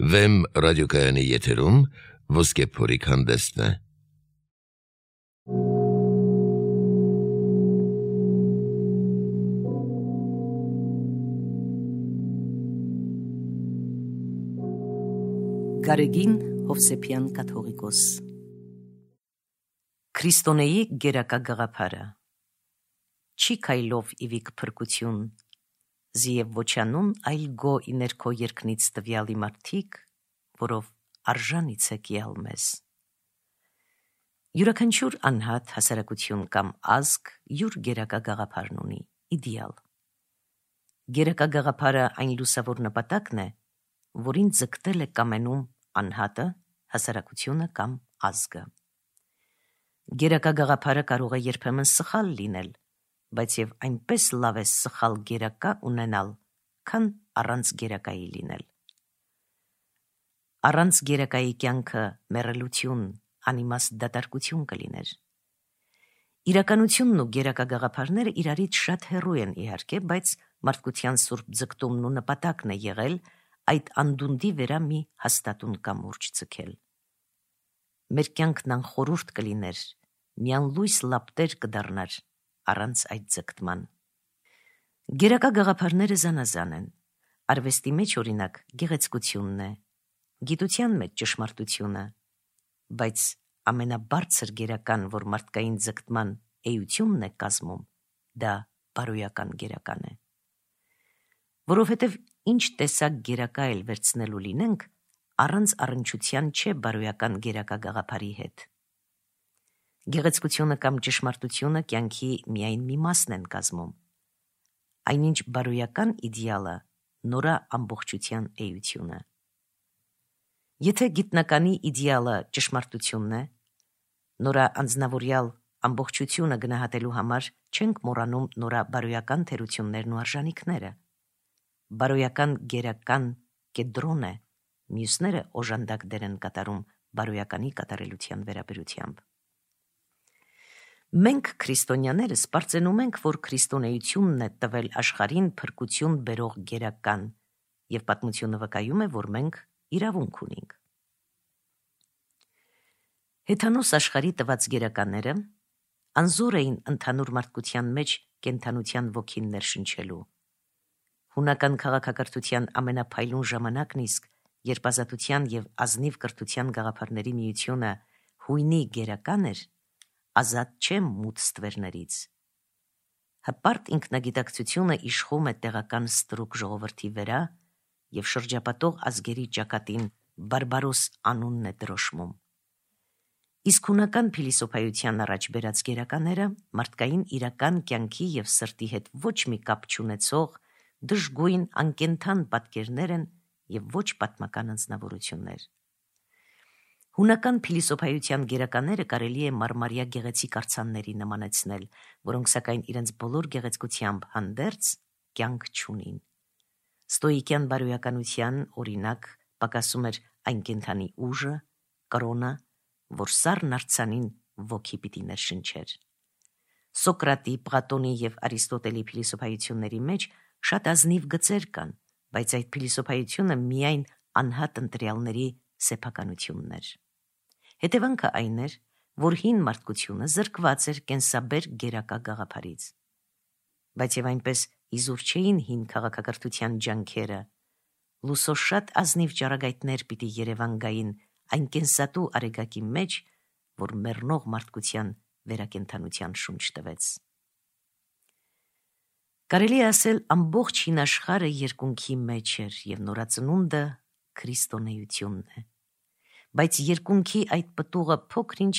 Վեմ ռադիոկայանի եթերում ոսկե փորիկ հանդեսն է։ Գարեգին Հովսեփյան կաթողիկոս Քրիստոնեի գերակա գաղափարը Չի քայլով իվիկ փրկություն Զիև ոչանուն այլ գո իներքո երկնից տվյալի մարդիկ որով արժանից է կիալ մեզ Յուրաքանչյուր անհատ հասարակություն կամ ազգ յուր գերակա գաղափարն ունի իդեալ Գերակա գաղափարը այն լուսավոր նպատակն է որին ձգտել է կամենում անհատը, հասարակությունը կամ ազգը։ Գերակա գաղափարը կարող է երբեմն սխալ լինել, բայց եւ այնպես լավ է սխալ գերակա ունենալ, քան առանց գերակայի լինել։ Առանց գերակայի կյանքը մեռելություն, անիմաստ դատարկություն կլիներ։ Իրականությունն ու գերակա գաղափարները իրարից շատ հեռու են իհարկե, բայց մարդկության սուրբ ձգտումն ու նպատակն է եղել այդ անդունդի վերա մի հաստատուն կամուրջ ձգել։ Մեր կյանքն անխորուրդ կլիներ, միանլույս լապտեր կդառնար առանց այդ ձգտման։ Գերակա գաղափարները զանազան են։ Արվեստի մեջ օրինակ գեղեցկությունն է, գիտության մեջ ճշմարտությունը, բայց ամենաբարձր գերական, որ մարդկային ձգտման էությունն է կազմում, դա բարոյական գերական է։ Որովհետև ինչ տեսակ գերակա էլ վերցնելու լինենք, առանց առնչության չէ բարոյական գերակա գաղափարի հետ։ Գեղեցկությունը կամ ճշմարտությունը կյանքի միայն մի մասն են կազմում։ Այնինչ բարոյական իդեալը նորա ամբողջության էությունը։ Եթե գիտնականի իդեալը ճշմարտությունն է, նորա անձնավորյալ ամբողջությունը գնահատելու համար չենք մոռանում նորա բարոյական թերություններն ու արժանիքները։ Բարոյական գերական կեդրոն է, մյուսները օժանդակ դեր են կատարում բարոյականի կատարելության վերաբերությամբ։ Մենք քրիստոնյաներս պարծենում ենք, որ քրիստոնեությունն է տվել աշխարհին փրկություն բերող գերական, եւ պատմությունը վկայում է, որ մենք իրավունք ունենք։ Հեթանոս աշխարհի տված գերականները անզոր էին ընդհանուր մարդկության մեջ կենթանության ոգին ներշնչելու։ Հունական քաղաքակրթության ամենափայլուն ժամանակն իսկ, երբ ազատության եւ ազնիվ կրթության գաղափարների միությունը հույնի գերական էր, ազատ չէ մութ ստվերներից։ Հպարտ ինքնագիտակցությունը իշխում է տեղական ստրուկ ժողովրդի վրա եւ շրջապատող ազգերի ճակատին բարբարոս անունն է դրոշմում։ Իսկ հունական փիլիսոփայության առաջ բերած գերակաները մարդկային իրական կյանքի եւ սրտի հետ ոչ մի կապ չունեցող դժգույն անկենթան պատկերներ են եւ ոչ պատմական անձնավորություններ։ Հունական փիլիսոփայության գերականները կարելի է մարմարյա գեղեցիկ արձանների նմանեցնել, որոնք սակայն իրենց բոլոր գեղեցկությամբ հանդերձ կյանք չունին։ Ստոիկյան բարոյականության օրինակ պակասում էր այն կենթանի ուժը, կրոնը, որ սառն արձանին ոգի պիտի ներշնչեր։ Սոկրատի, Պլատոնի եւ Արիստոտելի փիլիսոփայությունների մեջ շատ ազնիվ գծեր կան, բայց այդ փիլիսոփայությունը միայն անհատ ընտրյալների սեփականությունն էր։ Հետևանքը այն էր, որ հին մարդկությունը զրկված էր կենսաբեր գերակա գաղափարից։ Բայց եւ այնպես իզուր չէին հին քաղաքակրթության ջանքերը, լուսո շատ ազնիվ ճառագայթներ պիտի Երևան գային այն կենսատու արեգակի մեջ, որ մեռնող մարդկության վերակենդանության շունչ տվեց։ Կարելի է ասել ամբողջ հին աշխարհը երկունքի մեջ էր եւ նորածնունդը քրիստոնեությունն է։ Բայց երկունքի այդ պտուղը փոքր-ինչ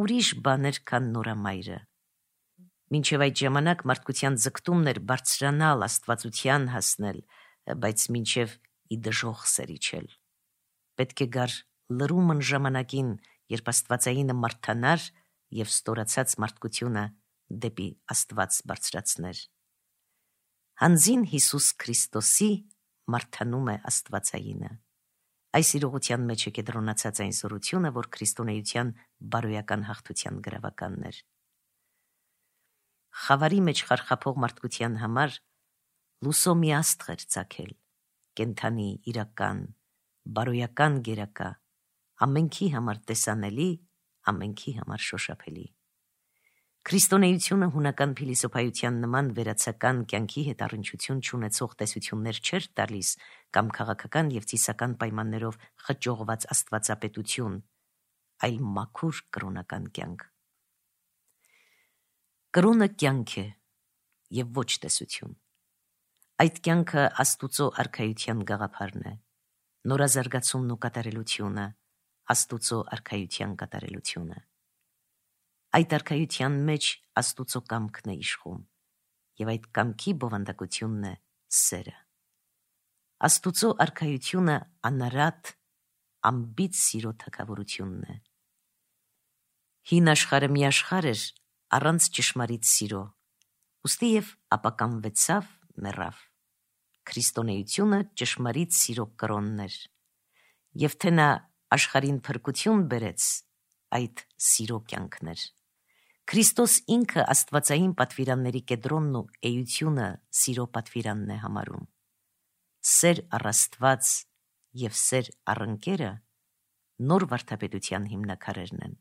ուրիշ բան էր, քան նորամայրը։ Մինչև այդ ժամանակ մարդկության ձգտումն էր բարձրանալ, աստվածության հասնել, բայց մինչև ի դժոխ սերիչել։ Պետք է գար լրումն ժամանակին, երբ աստվածայինը մարդանար եւ ստորացած մարդկությունը դեպի Աստված բարձրացներ։ Հանձին Հիսուս Քրիստոսի մարդանում է աստվածայինը։ Այս իրողության մեջ է կենտրոնացած այն զորությունը, որ քրիստոնեության բարոյական հաղթության գրավականն էր։ Խավարի մեջ խարխափող մարդկության համար լուսո մի աստղ էր ծագել, կենդանի, իրական, բարոյական գերակա, ամենքի համար տեսանելի, ամենքի համար շոշափելի։ Քրիստոնեությունը հունական փիլիսոփայության նման վերացական կյանքի հետ առնչություն չունեցող տեսություններ չէր տալիս կամ քաղաքական եւ ծիսական պայմաններով խճողված աստվածապետություն, այլ մաքուր կրոնական կյանք։ Կրոնը կյանք է եւ ոչ տեսություն։ Այդ կյանքը Աստուծո արքայության գաղափարն է, նորազարգացումն ու կատարելությունը, Աստուծո արքայության կատարելությունը։ Այդ արքայության մեջ Աստուծո կամքն է իշխում, եւ այդ կամքի բովանդակությունն է սերը։ Աստուծո արքայությունը անարատ, անբիծ սիրո թագավորությունն է։ Հին աշխարհը մի աշխարհ էր առանց ճշմարիտ սիրո, ուստի եւ ապականվեցավ, մեռավ։ Քրիստոնեությունը ճշմարիտ սիրո կրոնն էր, եւ թե նա աշխարհին փրկություն բերեց, այդ սիրո կյանքն էր։ Քրիստոս ինքը աստվածային պատվիրանների կեդրոնն ու էությունը սիրո պատվիրանն է համարում։ Սեր առ Աստված եւ սեր առ ընկերը նոր վարդապետության հիմնաքարերն են։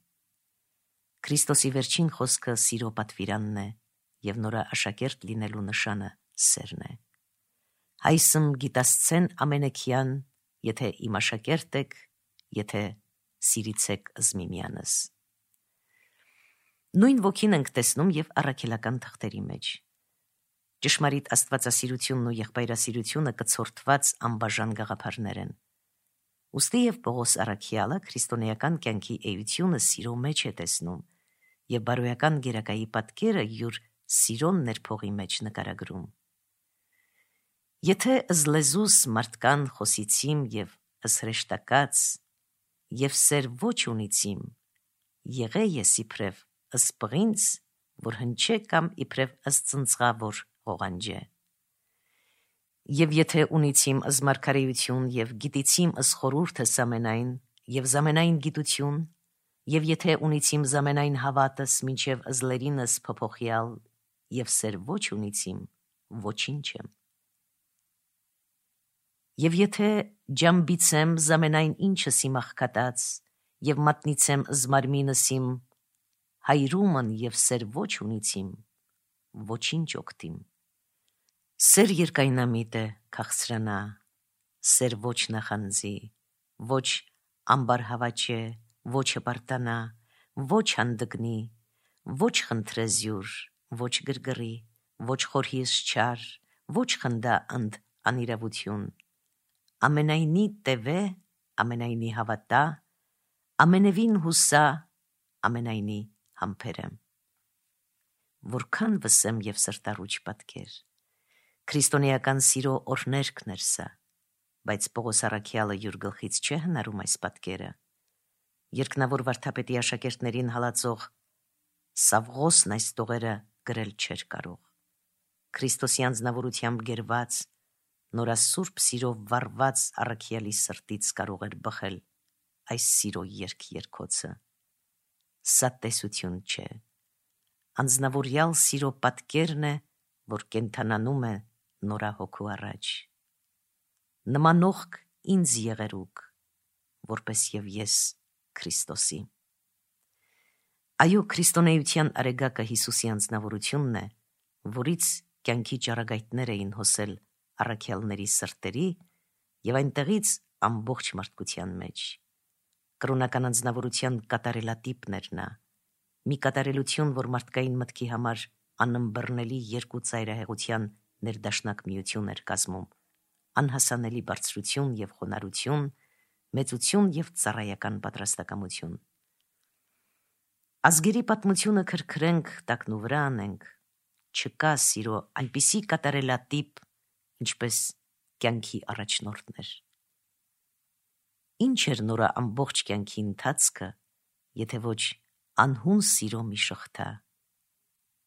Քրիստոսի վերջին խոսքը սիրո պատվիրանն է եւ նորա աշակերտ լինելու նշանը սերն է։ Հայսմ գիտասցեն ամենեքյան, եթե իմ աշակերտ եք, եթե սիրիցեք զմիմյանս։ Նույն ոգին ենք տեսնում եւ առաքելական թղթերի մեջ։ Ճշմարիտ աստվածասիրությունն ու եղբայրասիրությունը կցորդված անբաժան գաղափարներ են։ Ուստի եւ Պողոս առաքյալը քրիստոնեական կյանքի էությունը սիրո մեջ է տեսնում եւ բարոյական գերակայի պատկերը յուր սիրոն ներփողի մեջ նկարագրում։ Եթե զլեզուս մարդկան խոսիցիմ եւ ըսհրեշտակած եւ սեր ոչ ունիցիմ, եղե ես իբրև ըսպղինց, որ հնչե կամ իբրև ըսծնծղա, որ ղողանջե։ Եվ եթե ունիցիմ ըզմարգարեություն եւ գիտիցիմ ըսխորուրդը սամենայն եւ զամենայն գիտություն, եւ եթե ունիցիմ զամենայն հավատս մինչեւ ըզլերինս փոփոխյալ եւ սեր ոչ ունիցիմ, ոչինչ եմ։ Եվ եթե ջամբիցեմ զամենայն ինչս իմ աղքատած եւ մատնիցեմ զմարմինս իմ հայրումն եւ սեր ոչ ունիցիմ, ոչինչ օգտիմ։ Սեր երկայնամիտ է քաղցրանա, սեր ոչ նախանձի, ոչ ամբարհավաչե, ոչ հպարտանա, ոչ հանդգնի, ոչ խնդրեզյուր, ոչ գրգռի, ոչ խորհիս չար, ոչ խնդա ընդ անիրավություն, ամենայնի տևե, ամենայնի հավատա, ամենևին հուսա, ամենայնի համբերեմ։ Որքան վսեմ եւ սրտառուչ պատկեր։ Քրիստոնեական սիրո օրհներգն էր սա, բայց Պողոս առաքյալը յուր գլխից չէ հնարում այս պատկերը։ Երկնավոր վարդապետի աշակերտներին հալածող Սավղոսն այս տողերը գրել չէր կարող։ Քրիստոսի անձնավորությամբ գերված, նորասուրբ սիրով վառված առաքյալի սրտից կարող էր բխել այս սիրո երգ-երգոցը։ Սա տեսություն չէ։ Անձնավորյալ սիրո պատկերն է, որ կենթանանում է նորահոգու առաջ։ Նմանողք ինձ եղերուք, որպես եւ ես Քրիստոսի։ Այո, քրիստոնեության արեգակը Հիսուսի անձնավորությունն է, որից կյանքի ճառագայթներ էին հոսել առաքյալների սրտերի եւ այնտեղից ամբողջ մարդկության մեջ։ Կրոնական անձնավորության կատարելատիպն էր նա, մի կատարելություն, որ մարդկային մտքի համար անըմբռնելի երկու ծայրահեղության ներդաշնակ միություն էր կազմում, անհասանելի բարձրություն եւ խոնարհություն, մեծություն եւ ծառայական պատրաստակամություն։ Ազգերի պատմությունը քրքրենք, տակնու վրա անենք, չկա սիրո այնպիսի կատարելատիպ, ինչպես կյանքի առաջնորդներ։ Ինչ էր նորա ամբողջ կյանքի ընթացքը, եթե ոչ անհուն սիրո մի շղթա։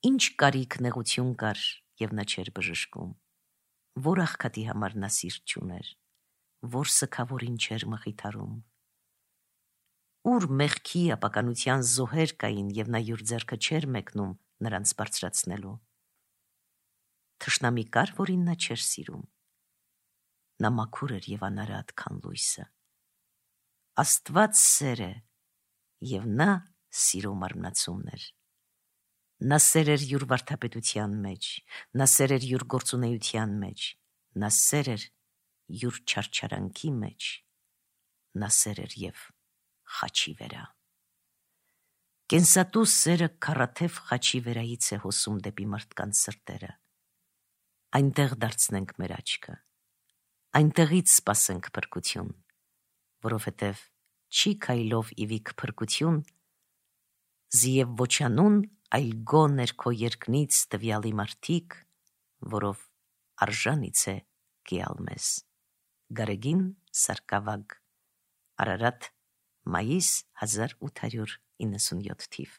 Ինչ կարիք նեղություն կար եւ նա չէր բժշկում, որ աղքատի համար նա սիրտ չուներ, որ սքավորին չէր մխիթարում, ուր մեղքի ապականության զոհեր կային եւ նա յուր ձեռքը չէր մեկնում նրանց բարձրացնելու։ Թշնամի կար, որին նա չէր սիրում։ Նա մաքուր էր եւ անարատ, քան լույսը, Աստված սեր է, և նա սիրո մարմնացումն էր։ Նա սեր էր յուր վարդապետության մեջ, նա սեր էր յուր գործունեության մեջ, նա սեր էր յուր չարչարանքի մեջ, նա սեր էր և խաչի վերա։ Կենսատու սերը քառաթև խաչի վերայից է հոսում դեպի մարդկանց սրտերը։ Այնտեղ դարձնենք մեր աչքը, այնտեղից սպասենք փրկություն, որովհետև չի քայլով իվիք փրկություն, զիև ոչանուն, այլ գո ներքո երկնից տվյալի մարդիկ, որով արժանից է գիալ մեզ։ Գարեգին Սարգսակ, Արարատ, մայիս 1897 թիվ։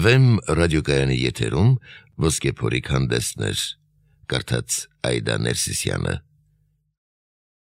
Վեմ ռադիոկայանի եթերում ոսկե փորիկ հանդեսներ, կարդաց Այդա Ներսիսյանը։